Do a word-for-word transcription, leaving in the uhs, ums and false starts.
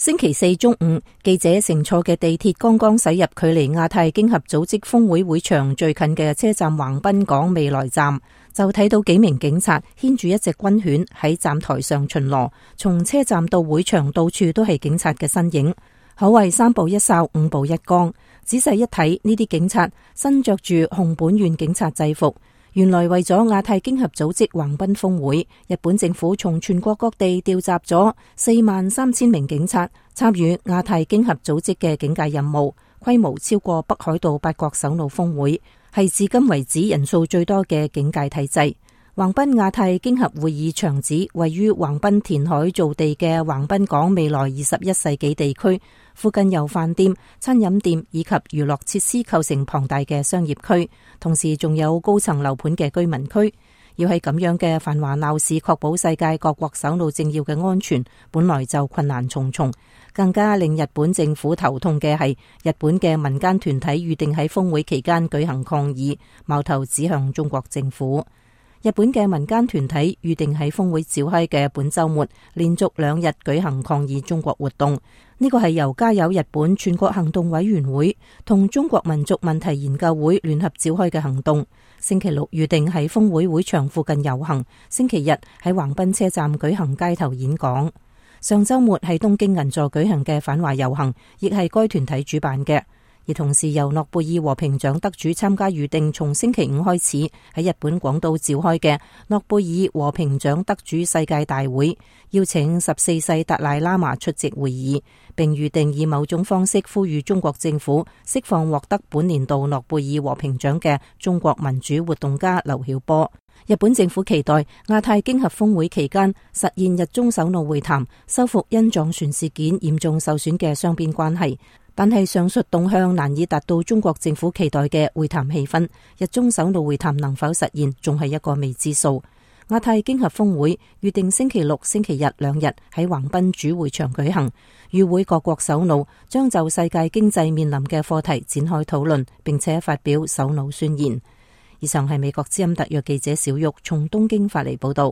星期四中午，記者乘坐嘅地鐵剛剛駛入距離亞太經合組織峰會會場最近嘅車站橫濱港未來站，就睇到幾名警察牽住一隻軍犬喺站台上巡邏，從車站到會場到處都係警察嘅身影，可謂三步一哨五步一崗。仔細一睇，呢啲警察身着住熊本縣警察制服。原來為咗亞太經合組織橫濱峰會，日本政府從全國各地調集咗四萬三千名警察參與亞太經合組織嘅警戒任務，規模超過北海道八國首腦峰會，係至今為止人數最多嘅警戒體制。橫濱亞太經合會議場址位於橫濱填海造地嘅橫濱港未來二十一世紀地區，附近由飯店、餐飲店以及娛樂設施構成龐大嘅商業區，同時仲有高層樓盤嘅居民區。要喺咁樣嘅繁華鬧市確保世界各國首腦政要嘅安全，本來就困難重重。更加令日本政府頭痛嘅係，日本嘅民間團體預定喺峰會期間舉行抗議，矛頭指向中國政府。日本嘅民間團體預定喺峰會召開嘅本週末，連續兩日舉行抗議中國活動。呢個係由加油日本全國行動委員會同中國民族問題研究會聯合召開嘅行動。星期六預定喺峰會會場附近遊行，星期日喺橫濱車站舉行街頭演講。上週末喺東京銀座舉行嘅反華遊行，亦係該團體主辦嘅。而同時由諾貝爾和平獎得主參加預定從星期五開始喺日本廣島召開嘅諾貝爾和平獎得主世界大會，邀請十四世達賴喇嘛出席會議，並預定以某種方式呼籲中國政府釋放獲得本年度諾貝爾和平獎嘅中國民主活動家劉曉波。日本政府期待亞太經合峰會期間實現日中首腦會談，修復因撞船事件嚴重受損嘅雙邊關係。但係上述動向難以達到中國政府期待嘅會談氣氛，日中首腦會談能否實現，仲係一個未知數。亞太經合峰會預定星期六、星期日兩日喺橫濱主會場舉行，與會各國首腦將就世界經濟面臨嘅課題展開討論，並且發表首腦宣言。以上係美國之音特約記者小玉從東京發嚟報道。